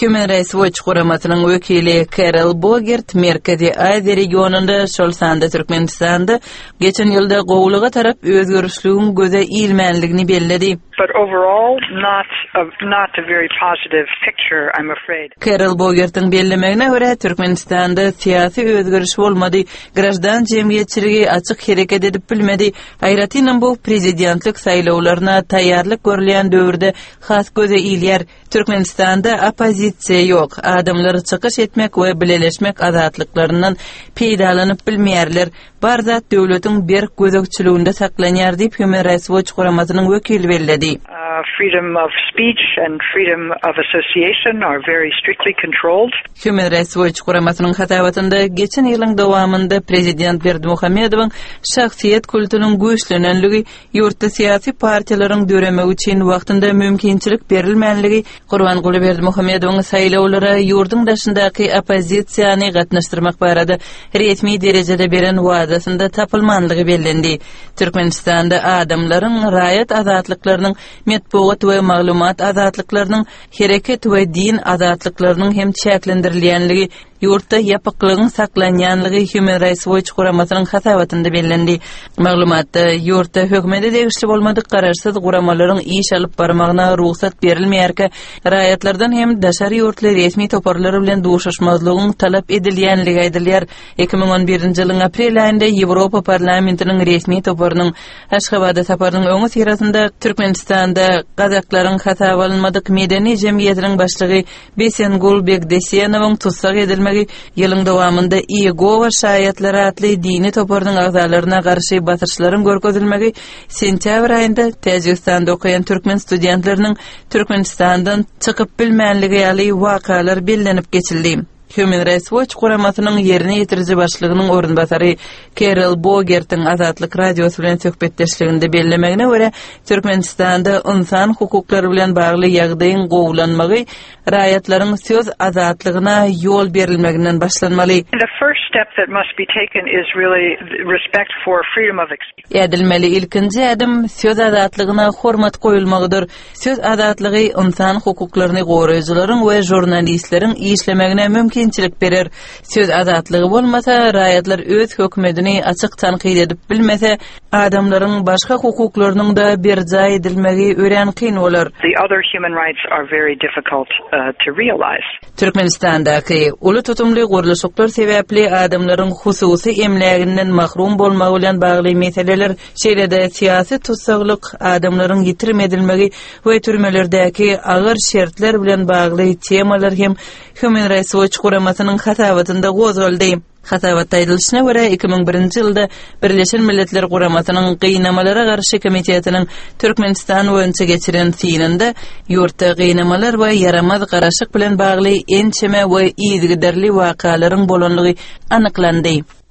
Human Rights Watch guramasynyň wekili Kerol Bogert Merkezi Aziýa regionynda, şol sanda Türkmenistanda geçen ýylda gowulyga tarap özgerişligiň göze ilmänligini belledi. But overall not a not a very positive picture, I'm afraid. Kerol Bogertiň bellemegine görä, Türkmenistanda syýasy özgeriş bolmady, graždan jemgyýetçiligi açyk hereket edip bilmedi, aýratynam bu prezidentlik saýlawlaryna taýýarlyk görülýän döwürde has göze ilýär. Türkmenistanda oppozisiýa ýok, adamlar çykyş etmek we bileleşmek azatlyklaryndan peýdalanyp bilmeýärler, bar zat döwletiň berk gözegçiliginde saklanýar diýip, Human Rights Watch guramasynyň wekili belledi. Freedom of speech and freedom of association are very strictly controlled. Human Rights Watch guramasynyň hasabatynda geçen ýylyň dowamynda prezident Berdimuhamedowyň şahsyýet kultunyň güýçlenenligi, Ýurtda syýasy partiýalaryň döremegi üçin wagtynda mümkinçilik berilmänligi Gurbanguly Berdimuhamedowyň saýlawlara ýurduň daşyndaky oppozisiýany gatnaşdyrmak barada resmi derejede beren wadasynda tapylmanlygy bellendi. Türkmenistanda adamlaryň raýat azatlyklarynyň, metbugat we maglumat azatlyklarynyň, hereket we din azatlyklarynyň hem çäklendirilýänligi Ýurtda ýapyklygyň saklanýanlygy Human Rights Watch guramasynyň hasabatynda bellendi. Maglumatda ýurtda hökümete degişli bolmadyk garaşsyz guramalaryň iş alyp barmagyna rugsat berilmeýärkä, raýatlardan hem daşary ýurtly resmi toparlar bilen duşuşmazlygyň talap edilýänligi aýdylýar. 2011-nji ýylyň aprel aýynda Ýewropa Parlamentiniň resmi toparynyň Aşgabada saparynyň öňüsyrasynda Türkmenistanda gazaklaryň hasaba alynmadyk medeni jemgyýetiniň başlygy Besengul Begdesenowyň tussag edilmegi ýylyň dowamynda Iýegowa şaýatlary atly dini toparynyň agzalaryna garşy basyşlaryň görkezilmegi sentýabr aýynda Täjigistanda okaýan türkmen studentleriniň Türkmenistandan çykyp bilmänligi ýaly wakalar bellenip geçildi. Human Rights Watch guramasynyň ýerine ýetiriji başlygynyň orunbasary Kerol Bogertiň Azatlyk Radiosy bilen söhbetdeşliginde bellemegine görä, Türkmenistanda ynsan hukuklary bilen bagly ýagdaýyň gowulanmagy raýatlaryň söz azatlygyna ýol berilmeginden başlanmaly. The first step that must be taken is really respect for freedom of Ädilmeli ilkinji ädim söz azatlygyna hormat goýulmagydyr. Söz azatlygy ynsan hukuklaryny goraýjylaryň we žurnalistleriň işlemegine mümkinçilik berer. Söz azatlygy bolmasa, raýatlar öz hökümetini açyk tankyt edip bilmese, adamlaryň başga hukuklarynyň-da berjaý edilmegi örän kyn bolar. The other human rights are very difficult to realize. Türkmenistandaky uly tutumly gurluşyklar sebäpli adamlaryň hususy emläginden mahrum bolmagy bilen bagly meseleler, şeýle-de syýasy tussaglyk, adamlaryň ýitirim edilmegi we türmelerdäki agyr şertler bilen bagly temalar hem Human Rights Watch guramasynyň hasabatynda gozgaldy. Hasabatda aýdylyşyna görä, 2001-nji ýylda Birleşen Milletler Guramasynyň Gynamalara garşy komitetiniň Türkmenistan boýunça geçiren synynda ýurtda gynamalar we ýaramaz garaşyk bilen bagly ençeme we yzygiderli wakalaryň bolandygy anyklandy.